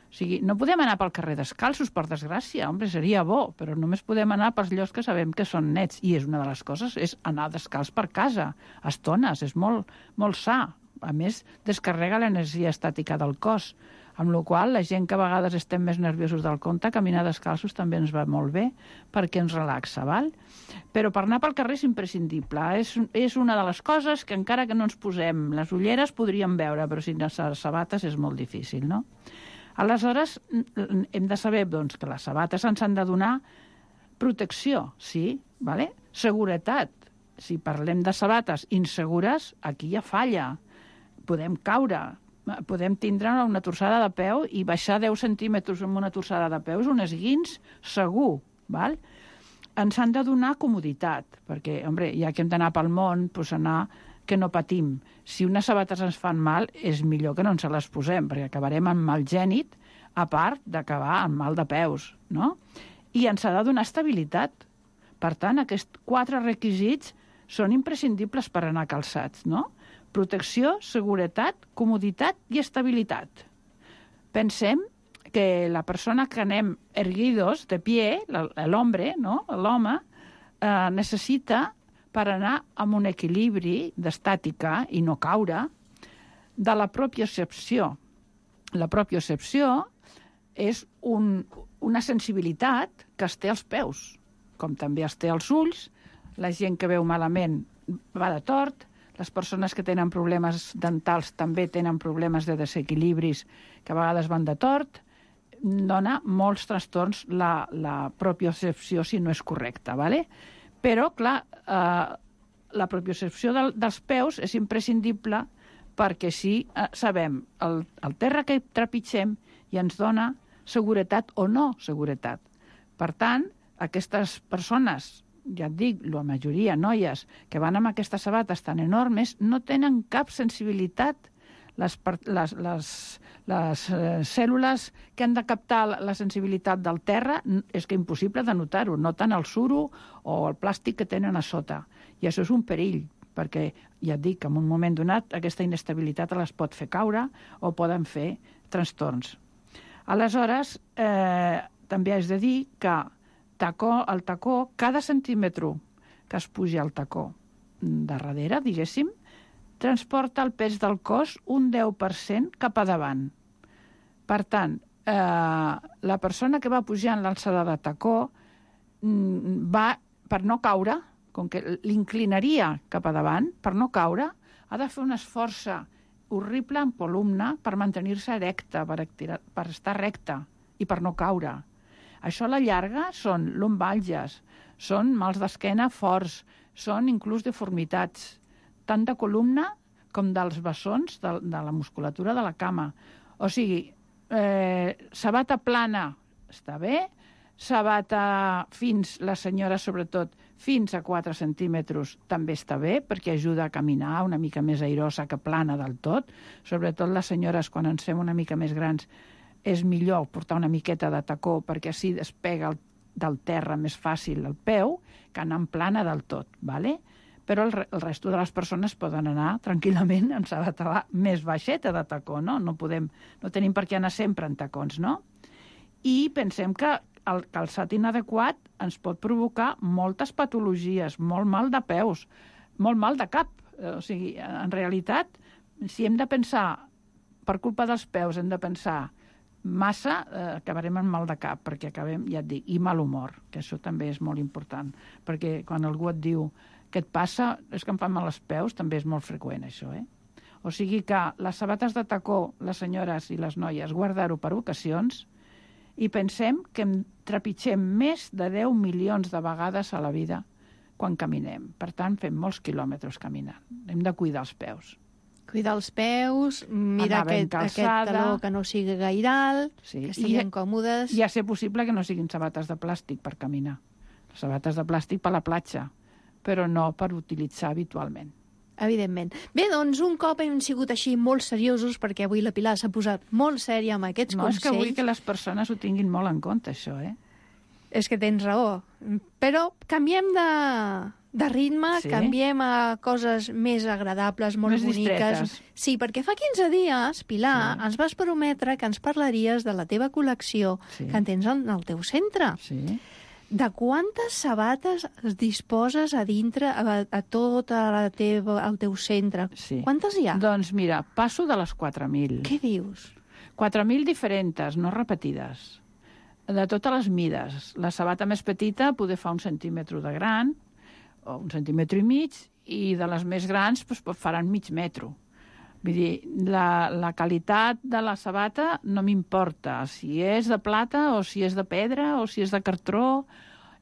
O sigui, no podem anar pel carrer descalços, per desgràcia, home, seria bo, però només podem anar pels llocs que sabem que són nets, i és una de les coses, és anar descalç per casa, a estones, és molt, molt sa. A més, descarrega l'energia estàtica del cos, amb la qual la gent que a vegades estem més nerviosos del compte, caminar descalços també ens va molt bé, perquè ens relaxa, val? Però per anar pel carrer és imprescindible. És, és una de les coses que encara que no ens posem les ulleres podríem veure, però sin les sabates és molt difícil, no? Aleshores, hem de saber doncs, que les sabates ens han de donar protecció, sí, vale? Seguretat. Si parlem de sabates insegures, aquí hi ha falla. Podem caure, podem tindre una torçada de peu i baixar deu centímetres amb una torçada de peu és un esguins segur, val? Ens han de donar comoditat, perquè, home, ja que hem d'anar pel món, doncs anar que no patim. Si unes sabates ens fan mal, és millor que no ens les posem, perquè acabarem amb mal gènit, a part d'acabar amb mal de peus, no? I ens ha de donar estabilitat. Per tant, aquests quatre requisits són imprescindibles per anar calçats, no? Protecció, seguretat, comoditat i estabilitat. Pensem que la persona que anem erguidos, de pie, l'home, no? l'home, eh, necessita, per anar amb un equilibri d'estàtica i no caure, de la propiocepció. La propiocepció és un, una sensibilitat que es té als peus, com també es té als ulls. La gent que veu malament va de tort, les persones que tenen problemes dentals també tenen problemes de desequilibris que a vegades van de tort, dona molts trastorns la, la propiocepció si no és correcta, ¿vale? Però, clar, eh, la propiocepció del, dels peus és imprescindible perquè si eh, sabem el, el terra que trepitgem i ens dona seguretat o no seguretat. Per tant, aquestes persones, ja et dic, la majoria noies que van amb aquestes sabates tan enormes no tenen cap sensibilitat. Les, les, les, les eh, cèl·lules que han de captar la sensibilitat del terra és que impossible de notar-ho, noten el suro o el plàstic que tenen a sota. I això és un perill, perquè ja et dic que en un moment donat aquesta inestabilitat les pot fer caure o poden fer trastorns. Aleshores, eh, també has de dir que tacó, el tacó, cada centímetre que es puja al tacó de darrere, diguéssim, transporta el pes del cos un deu per cent cap a davant. Per tant, eh, la persona que va pujant l'alçada de tacó va, per no caure, com que l'inclinaria cap a davant, per no caure, ha de fer un esforç horrible en columna per mantenir-se erecta, per, per estar recta i per no caure. Això a la llarga són lumbàlgies, són mals d'esquena forts, són inclús deformitats, tant de columna com dels bessons de, de la musculatura de la cama. O sigui, eh, sabata plana està bé, sabata fins, la senyora sobretot, fins a quatre centímetres també està bé, perquè ajuda a caminar una mica més airosa que plana del tot. Sobretot les senyores, quan ens fem una mica més grans, és millor portar una miqueta de tacó perquè així despega el, del terra més fàcil el peu que anar en plana del tot, ¿vale? Però el, el resto de les persones poden anar tranquil·lament en sabata més baixeta de tacó, no? No, podem, no tenim per què anar sempre en tacons, no? I pensem que el calçat inadequat ens pot provocar moltes patologies, molt mal de peus, molt mal de cap. O sigui, en realitat, si hem de pensar, per culpa dels peus, hem de pensar massa, eh, acabarem amb mal de cap, perquè acabem, ja et dic, i mal humor, que això també és molt important, perquè quan algú et diu què et passa, és que em fan mal els peus, també és molt freqüent, això, eh? O sigui que les sabates de tacó, les senyores i les noies, guardar-ho per ocasions, i pensem que em trepitgem més de deu milions de vegades a la vida quan caminem. Per tant, fem molts quilòmetres caminant. Hem de cuidar els peus. Cuidar els peus, mirar aquest, aquest taló que no sigui gaire alt, sí. Que estiguin còmodes. I a ser possible que no siguin sabates de plàstic per caminar. Sabates de plàstic per la platja, però no per utilitzar habitualment. Evidentment. Bé, doncs, un cop hem sigut així molt seriosos, perquè avui la Pilar s'ha posat molt sèria amb aquests no, consells... No, és que vull que les persones ho tinguin molt en compte, això, eh? És que tens raó. Però canviem de, de ritme, sí? Canviem a coses més agradables, molt més boniques. Distretes. Sí, perquè fa quinze dies, Pilar, sí. Ens vas prometre que ens parlaries de la teva col·lecció, sí. Que en tens en el teu centre. Sí. De quantes sabates es disposes a dintre, a, a tot la teva, al teu centre? Sí. Quantes hi ha? Doncs mira, passo de les quatre mil. Què dius? quatre mil diferents, no repetides. De totes les mides. La sabata més petita poder fa un centímetre de gran, o un centímetre i mig, i de les més grans doncs, faran mig metro. Vull dir, la, la qualitat de la sabata no m'importa si és de plata o si és de pedra o si és de cartró,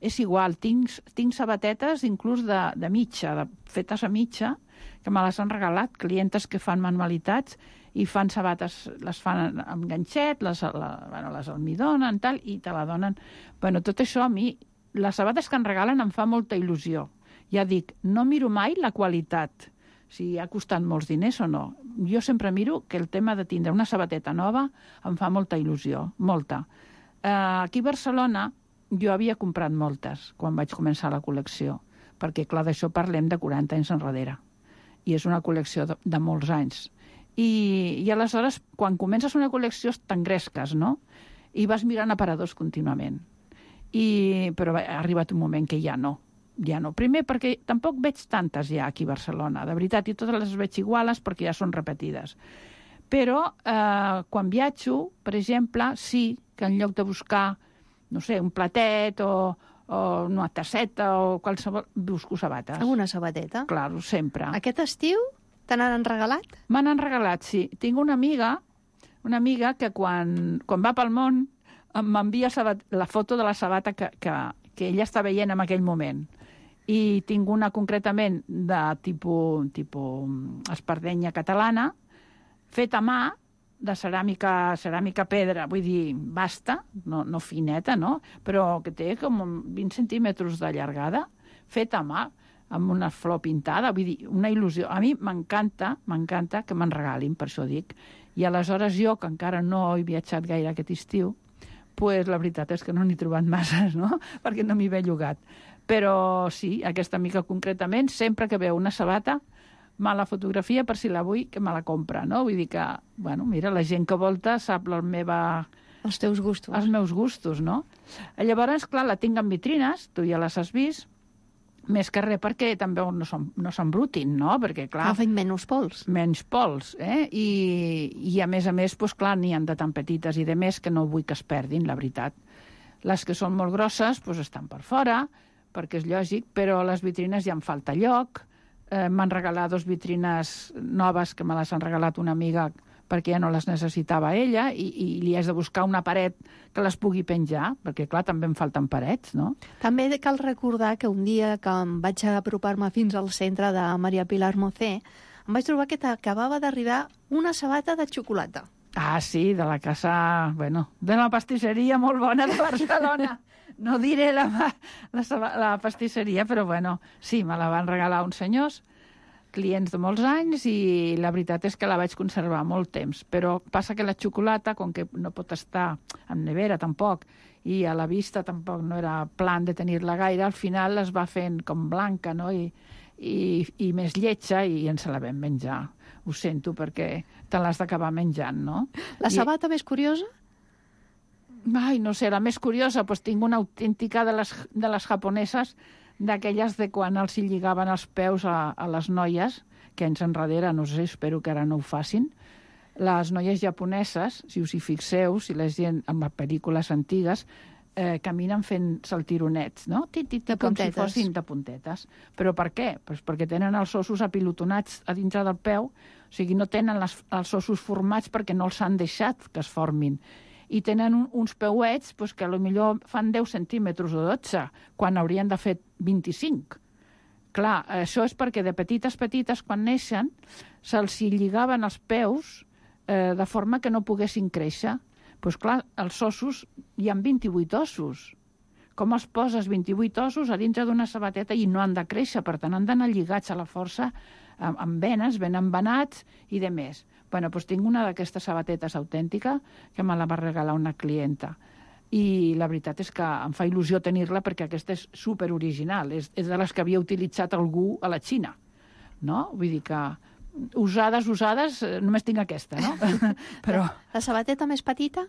és igual. Tinc, tinc sabatetes inclús de, de mitja, de, fetes a mitja, que me les han regalat clientes que fan manualitats i fan sabates, les fan amb ganxet, les, la, bueno, les almidonen, tal, i te la donen. Bueno, tot això a mi, les sabates que em regalen em fa molta il·lusió. Ja dic, no miro mai la qualitat, si ha costat molts diners o no. Jo sempre miro que el tema de tindre una sabateta nova em fa molta il·lusió, molta. Eh, aquí a Barcelona jo havia comprat moltes quan vaig començar la col·lecció, perquè, clar, d'això parlem de quaranta anys enrere, i és una col·lecció de, de molts anys. I, I aleshores, quan comences una col·lecció, t'engresques, no? I vas mirant aparadors contínuament. I, però ha arribat un moment que ja no. Ja no. Primer, perquè tampoc veig tantes ja aquí a Barcelona, de veritat, i totes les veig iguales perquè ja són repetides. Però eh, quan viatjo, per exemple, sí que en lloc de buscar, no sé, un platet o, o una tasseta o qualsevol, busco sabates. Alguna sabateta? Claro, sempre. Aquest estiu te n'han regalat? Me n'han regalat, sí. Tinc una amiga, una amiga que quan, quan va pel món m'envia la foto de la sabata que, que, que ella està veient en aquell moment. I tinc una concretament de tipus, tipus espardenya catalana, feta a mà, de ceràmica, ceràmica pedra, vull dir, basta, no, no fineta, no? Però que té com vint centímetres de llargada, feta a mà, amb una flor pintada, vull dir, una il·lusió. A mi m'encanta, m'encanta que me'n regalin, per això dic. I aleshores jo, que encara no he viatjat gaire aquest estiu, pues la veritat és que no n'he trobat masses, no? Perquè no m'hi ve llogat. Però sí, aquesta amiga concretament, sempre que veu una sabata, me la fotografia per si la vull, que me la compra, no? Vull dir que, bueno, mira, la gent que volta sap la meva... Els teus gustos. Els meus gustos, no? Llavors, clar, la tinc en vitrines, tu ja les has vist, més que res perquè també no s'embrutin, no? Perquè, clar... Agafen menys pols. Menys pols, eh? I, i a més a més, doncs, clar, n'hi ha de tan petites i de més que no vull que es perdin, la veritat. Les que són molt grosses, doncs, estan per fora, perquè és lògic, però les vitrines ja em falta lloc. Eh, m'han regalat dos vitrines noves que me les han regalat una amiga perquè ja no les necessitava ella i, i li has de buscar una paret que les pugui penjar, perquè, clar, també em falten parets, no? També cal recordar que un dia que em vaig apropar-me fins al centre de Maria Pilar Mocé, em vaig trobar que t'acabava d'arribar una sabata de xocolata. Ah, sí, de la casa... Bueno, de la pastisseria molt bona de Barcelona. No diré la, la, la pastisseria, però bueno, sí, me la van regalar uns senyors clients de molts anys i la veritat és que la vaig conservar molt temps. Però passa que la xocolata, com que no pot estar en nevera tampoc, i a la vista tampoc no era plan de tenir-la gaire, al final es va fent com blanca, no? I, i, i més lletja, i ens la vam menjar. Ho sento, perquè te l'has d'acabar menjant, no? La sabata I... més curiosa? Ai, no sé, la més curiosa, doncs tinc una autèntica de les, de les japoneses, d'aquelles de quan els hi lligaven els peus a, a les noies, que anys enrere, no sé, espero que ara no ho facin. Les noies japoneses, si us hi fixeu, si la gent amb les pel·lícules antigues, eh, caminen fent saltironets, no? Tit, tit, de com puntetes. si fossin de puntetes. Però per què? Pues perquè tenen els ossos apilotonats a dintre del peu, o sigui, no tenen les, els ossos formats perquè no els han deixat que es formin. I tenen un, uns peuets pues, que potser fan deu centímetres o dotze, quan haurien de fer vint-i-cinc. Clar, això és perquè de petites, petites, quan neixen, se'ls lligaven els peus eh, de forma que no poguessin créixer. Doncs pues, clar, els ossos, hi ha vint-i-vuit ossos. Com els poses vint-i-vuit ossos a dintre d'una sabateta i no han de créixer, per tant, han d'anar lligats a la força amb, amb venes, ben embenats i de més. Bueno, doncs tinc una d'aquestes sabatetes autèntica que me la va regalar una clienta. I la veritat és que em fa il·lusió tenir-la perquè aquesta és superoriginal. És, és de les que havia utilitzat algú a la Xina. No? Vull dir que usades, usades, només tinc aquesta, no? Però... La sabateta més petita?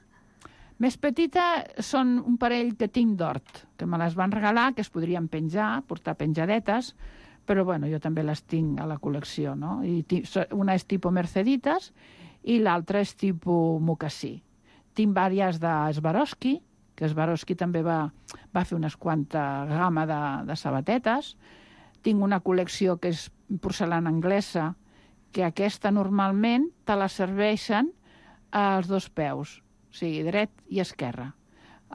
Més petita són un parell que tinc d'hort, que me les van regalar, que es podrien penjar, portar penjadetes, però bueno, jo també les tinc a la col·lecció, no? I una és tipus Merceditas i l'altra és tipus mocassí. Tinc diverses de Swarovski, que Swarovski també va, va fer unes quantes gamma de, de sabatetes. Tinc una col·lecció que és porcelana anglesa, que aquesta normalment te la serveixen als dos peus, o sigui, dret i esquerra.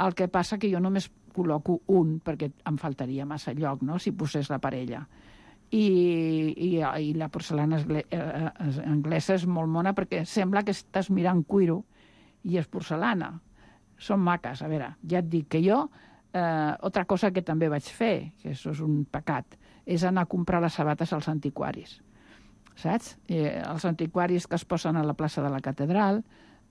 El que passa que jo només col·loco un, perquè em faltaria massa lloc, no?, si posés la parella. I, i, i la porcelana anglesa és molt mona perquè sembla que estàs mirant cuiro i és porcelana. Són maques. A veure, ja et dic que jo, eh, altra cosa que també vaig fer, que això és un pecat, és anar a comprar les sabates als antiquaris. Saps? Eh, els antiquaris que es posen a la plaça de la catedral,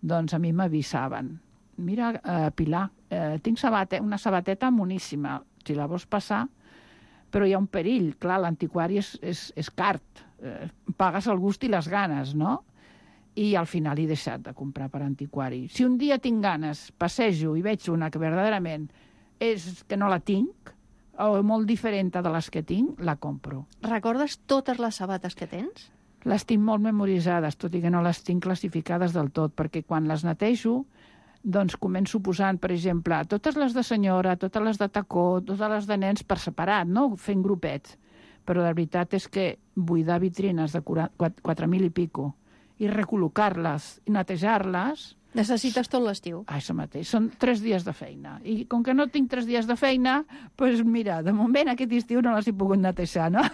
doncs a mi m'avisaven. Mira, eh, Pilar, eh, tinc sabate, una sabateta moníssima. Si la vols passar, però hi ha un perill. Clar, l'antiquari és, és, és cart. Eh, pagues el gust i les ganes, no? I al final he deixat de comprar per antiquari. Si un dia tinc ganes, passejo i veig una que verdaderament és que no la tinc, o molt diferent de les que tinc, la compro. Recordes totes les sabates que tens? Les tinc molt memoritzades, tot i que no les tinc classificades del tot, perquè quan les netejo, doncs començo posant, per exemple, totes les de senyora, totes les de tacó, totes les de nens per separat, no? Fent grupets. Però la veritat és que buidar vitrines de quatre mil i pico i recol·locar-les i netejar-les... Necessites tot l'estiu. Ah, això mateix. Són tres dies de feina. I com que no tinc tres dies de feina, doncs mira, de moment aquest estiu no les he pogut netejar, no?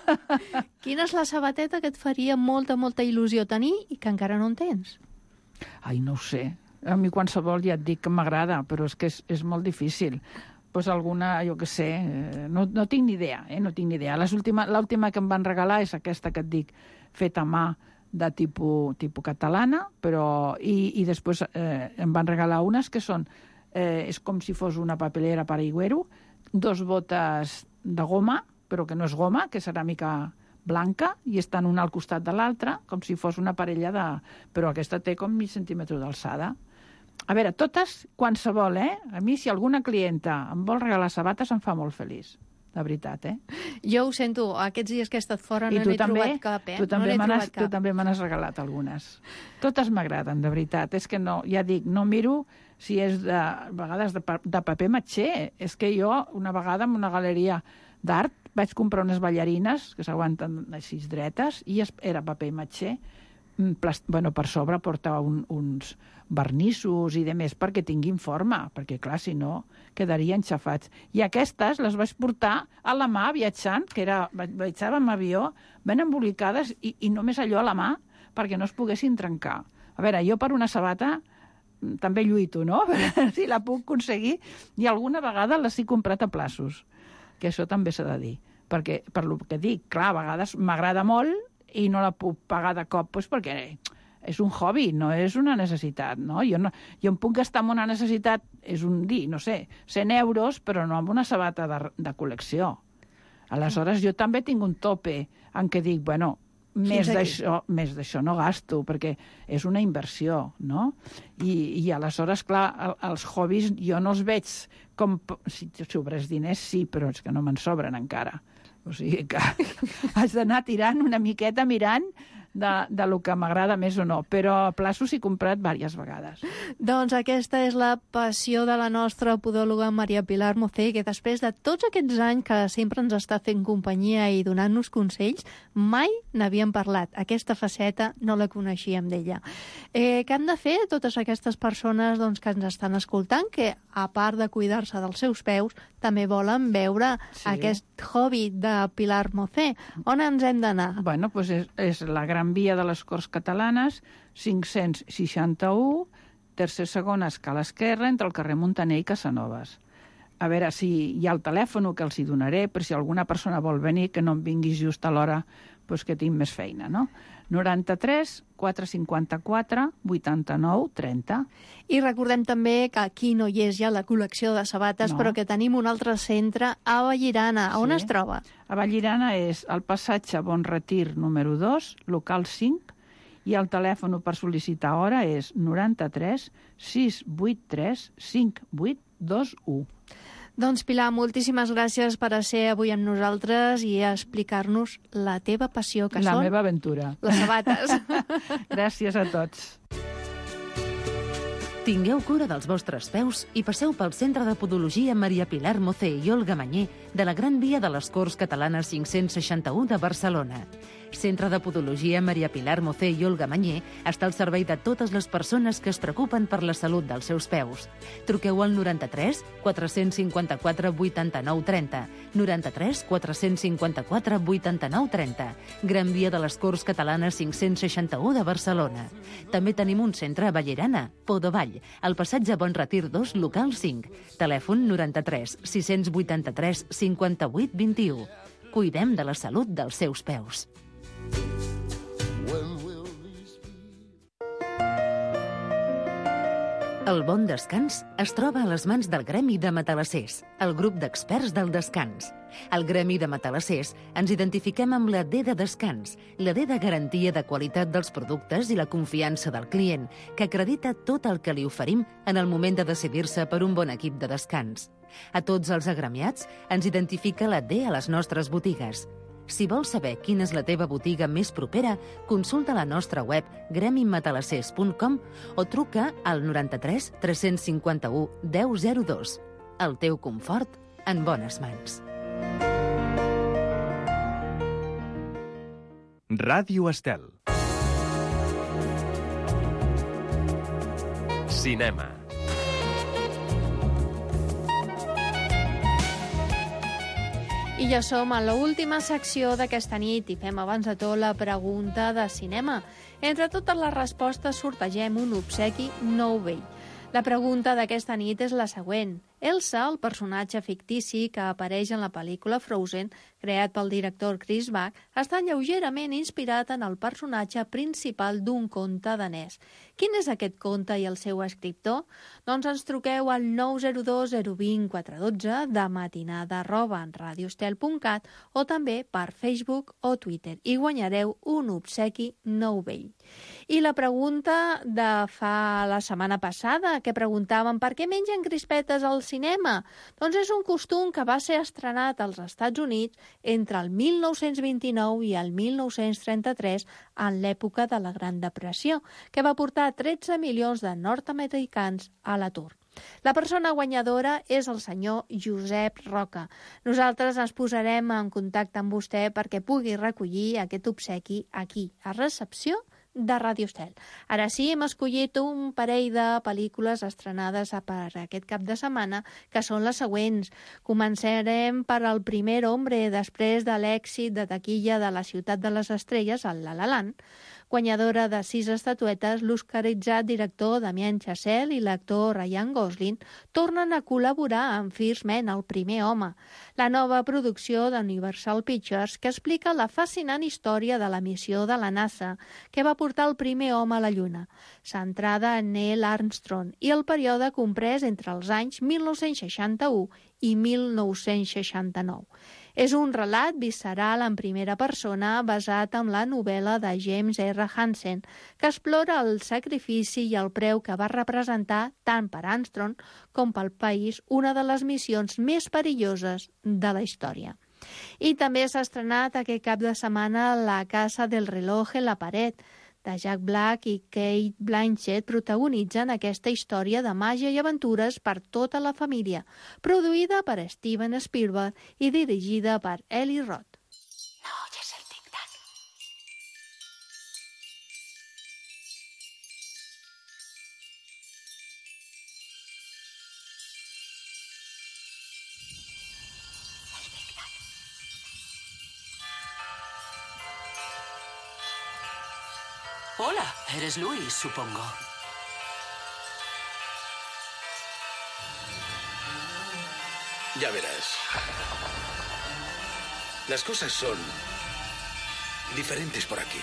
Quina és la sabateta que et faria molta, molta il·lusió tenir i que encara no en tens? Ai, no ho sé. A mi qualsevol ja et dic que m'agrada, però és que és, és molt difícil. Pues alguna, jo què sé, no, no tinc ni idea, eh? no tinc ni idea. L'última que em van regalar és aquesta que et dic, feta a mà, de tipus, tipus catalana, però... I, i després eh, em van regalar unes que són... Eh, és com si fos una papelera per aigüero, dos botes de goma, però que no és goma, que és ceràmica blanca, i estan una al costat de l'altra, com si fos una parella de... Però aquesta té com mig centímetre d'alçada. A veure, totes, qualsevol, eh? A mi, si alguna clienta em vol regalar sabates, em fa molt feliç. De veritat, eh? Jo ho sento, aquests dies que he estat fora no n'he trobat cap, eh? Tu també no m'has tu també me n'has regalat algunes. Totes m'agraden, de veritat. És que no, ja dic, no miro si és de, a vegades de, de paper matxer. És que jo, una vegada, en una galeria d'art, vaig comprar unes ballarines que s'aguanten així dretes i era paper matxer. Bueno, per sobre portava un, uns vernissos i de més perquè tinguin forma, perquè clar, si no quedarien xafats. I aquestes les vaig portar a la mà viatjant, que era, viatjava amb avió, ben embolicades i, i només allò a la mà perquè no es poguessin trencar. A veure, jo per una sabata també lluito, no? Si la puc aconseguir. I alguna vegada les he comprat a plaços, que això també s'ha de dir. Perquè, per lo que dic, clar, a vegades m'agrada molt i no la puc pagar de cop, doncs perquè és un hobby, no és una necessitat, no? Jo, no, jo em puc gastar en una necessitat, és un dir, no sé, cent euros, però no amb una sabata de, de col·lecció. Aleshores, jo també tinc un tope en què dic, bueno, més d'això més d'això no gasto, perquè és una inversió, no? I, i aleshores, clar, el, els hobbies jo no els veig com... Si sobres diners, sí, però és que no me'n sobren encara. O sigui que has d'anar tirant una miqueta mirant de, de lo que m'agrada més o no, però a plaços he comprat diverses vegades. Doncs aquesta és la passió de la nostra podòloga Maria Pilar Mocé, que després de tots aquests anys que sempre ens està fent companyia i donant-nos consells, mai n'havíem parlat. Aquesta faceta no la coneixíem d'ella. Eh, què han de fer totes aquestes persones doncs, que ens estan escoltant, que a part de cuidar-se dels seus peus, també volen veure sí. aquest hobby de Pilar Mocé? On ens hem d'anar? Bueno, doncs és, és la Gran Via de les Corts Catalanes, cinc-cents seixanta-u, tercer segona escala esquerra, entre el carrer Muntaner i Casanovas. A veure si hi ha el telèfon que els hi donaré, per si alguna persona vol venir, que no em vinguis just a l'hora doncs, que tinc més feina, no? noranta-tres quatre cinquanta-quatre vuitanta-nou trenta. I recordem també que aquí no hi és ja la col·lecció de sabates, no. però que tenim un altre centre a Vallirana. A on sí. es troba? A Vallirana és el passatge Bon Retir número dos, local cinc, i el telèfon per sol·licitar hora és noranta-tres sis vuit tres cinc vuit dos u. Doncs, Pilar, moltíssimes gràcies per ser avui amb nosaltres i explicar-nos la teva passió, que la són... La meva aventura. Les sabates. Gràcies a tots. Tingueu cura dels vostres peus i passeu pel Centre de Podologia Maria Pilar Mocé i Olga Mañé de la Gran Via de les Corts Catalanes cinc-cents seixanta-u de Barcelona. Centre de Podologia Maria Pilar Mocé i Olga Mañé està al servei de totes les persones que es preocupen per la salut dels seus peus. Truqueu al noranta-tres quatre cinquanta-quatre vuitanta-nou trenta, noranta-tres quatre cinquanta-quatre vuitanta-nou trenta, Gran Via de les Corts Catalanes cinc-cents seixanta-u de Barcelona. També tenim un centre a Vallirana, Podovall, al passatge Bon Retir dos, local cinc. Telèfon noranta-tres sis vuitanta-tres cinquanta-vuit vint-i-u. Cuidem de la salut dels seus peus. El bon descans es troba a les mans del Gremi de Matalassers, el grup d'experts del descans. Al Gremi de Matalassers ens identifiquem amb la D de descans, la D de garantia de qualitat dels productes i la confiança del client, que acredita tot el que li oferim en el moment de decidir-se per un bon equip de descans. A tots els agremiats ens identifica la D a les nostres botigues. Si vols saber quina és la teva botiga més propera, consulta la nostra web gremi matalassers punt com o truca al noranta-tres tres cinquanta-u deu zero dos. El teu confort en bones mans. Ràdio Estel. Cinema. I ja som a l'última secció d'aquesta nit i fem abans de tot la pregunta de cinema. Entre totes les respostes sortegem un obsequi nou vell. La pregunta d'aquesta nit és la següent. Elsa, el personatge fictici que apareix en la pel·lícula Frozen, creat pel director Chris Bach, està lleugerament inspirat en el personatge principal d'un conte danès. Quin és aquest conte i el seu escriptor? Doncs ens truqueu al nou zero dos zero dos zero quatre un dos de matinada arroba en radioestel punt cat o també per Facebook o Twitter i guanyareu un obsequi nou vell. I la pregunta de fa la setmana passada, que preguntàvem per què mengen crispetes al cinema? Doncs és un costum que va ser estrenat als Estats Units entre el mil nou-cents vint-i-nou i el mil nou-cents trenta-tres, en l'època de la Gran Depressió, que va portar tretze milions de nord-americans a l'atur. La persona guanyadora és el senyor Josep Roca. Nosaltres ens posarem en contacte amb vostè perquè pugui recollir aquest obsequi aquí, a recepció de Ràdio Estel. Ara sí, hem escollit un parell de pel·lícules estrenades per aquest cap de setmana, que són les següents. Començarem per El primer hombre, després de l'èxit de taquilla de La ciutat de les estrelles, el La La Land. Guanyadora de sis estatuetes, l'oscaritzat director Damien Chazelle i l'actor Ryan Gosling tornen a col·laborar amb First Man, el primer home, la nova producció d'Universal Pictures que explica la fascinant història de la missió de la NASA que va portar el primer home a la Lluna, centrada en Neil Armstrong i el període comprès entre els anys mil nou-cents seixanta-u i mil nou-cents seixanta-nou. És un relat visceral en primera persona basat en la novel·la de James R. Hansen, que explora el sacrifici i el preu que va representar tant per Armstrong com pel país una de les missions més perilloses de la història. I també s'ha estrenat aquest cap de setmana La casa del reloj en la paret, de Jack Black i Kate Blanchett protagonitzen aquesta història de màgia i aventures per tota la família, produïda per Steven Spielberg i dirigida per Eli Roth. No oyes el tic-tac. El tic-tac. Hola, eres Luis, supongo. Ya verás. Las cosas son diferentes por aquí.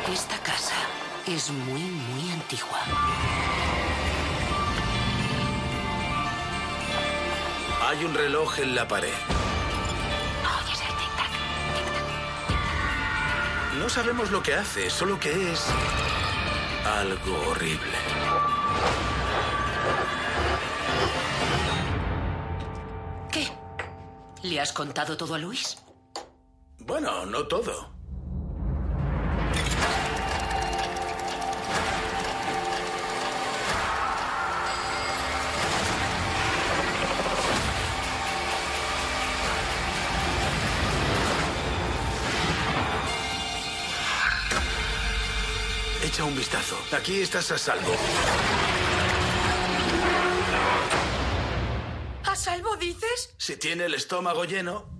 Esta casa es muy, muy antigua. Hay un reloj en la pared. ¿Oyes el tic-tac? No sabemos lo que hace, solo que es algo horrible. ¿Qué? ¿Le has contado todo a Luis? Bueno, no todo. Echa un vistazo. Aquí estás a salvo. ¿A salvo dices? Si tiene el estómago lleno...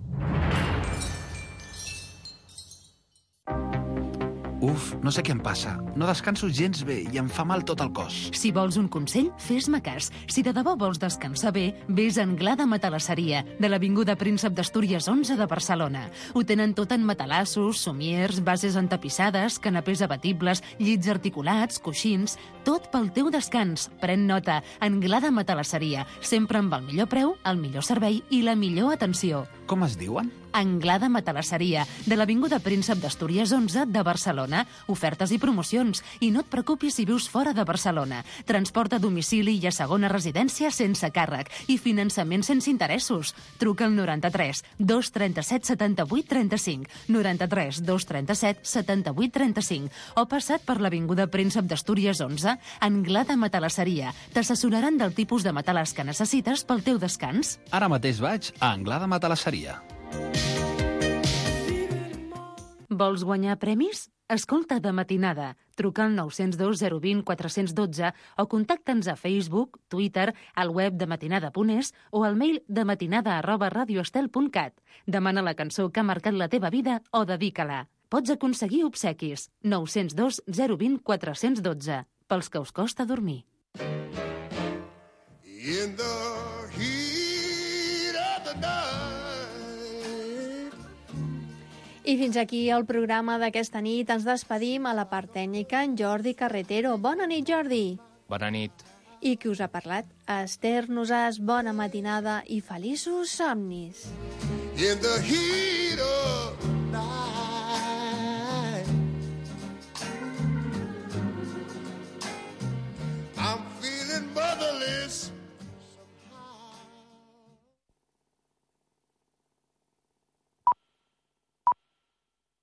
Uf, no sé què em passa. No descanso gens bé i em fa mal tot el cos. Si vols un consell, fes-me cas. Si de debò vols descansar bé, vés a Anglada Matalasseria, de l'Avinguda Príncep d'Astúries onze de Barcelona. Ho tenen tot en matalassos, somiers, bases entapissades, canapés abatibles, llits articulats, coixins... Tot pel teu descans. Pren nota. Anglada Matalasseria. Sempre amb el millor preu, el millor servei i la millor atenció. Com es diuen? Anglada Matalasseria, de l'Avinguda Príncep d'Astúries onze de Barcelona. Ofertes i promocions. I no et preocupis si vius fora de Barcelona. Transport a domicili i a segona residència sense càrrec. I finançament sense interessos. Truca al noranta-tres dos trenta-set setanta-vuit trenta-cinc, noranta-tres dos trenta-set setanta-vuit trenta-cinc o passat per l'Avinguda Príncep d'Astúries onze, Anglada Matalasseria. T'assessoraran del tipus de matalàs que necessites pel teu descans. Ara mateix vaig a Anglada Matalasseria. Vols guanyar premis? Escolta De Matinada. Truca al nou zero dos zero dos zero quatre un dos o contacta'ns a Facebook, Twitter, al web de matinada punt es o al mail dematinada arroba radioestel punt cat. Demana la cançó que ha marcat la teva vida o dedica-la. Pots aconseguir obsequis. nou zero dos zero dos zero quatre un dos. Pels que us costa dormir. In the heat of the night. I fins aquí el programa d'aquesta nit. Ens despedim a la part tècnica en Jordi Carretero. Bona nit, Jordi. Bona nit. I qui us ha parlat? Esther Nosàs, bona matinada i feliços somnis. In the heat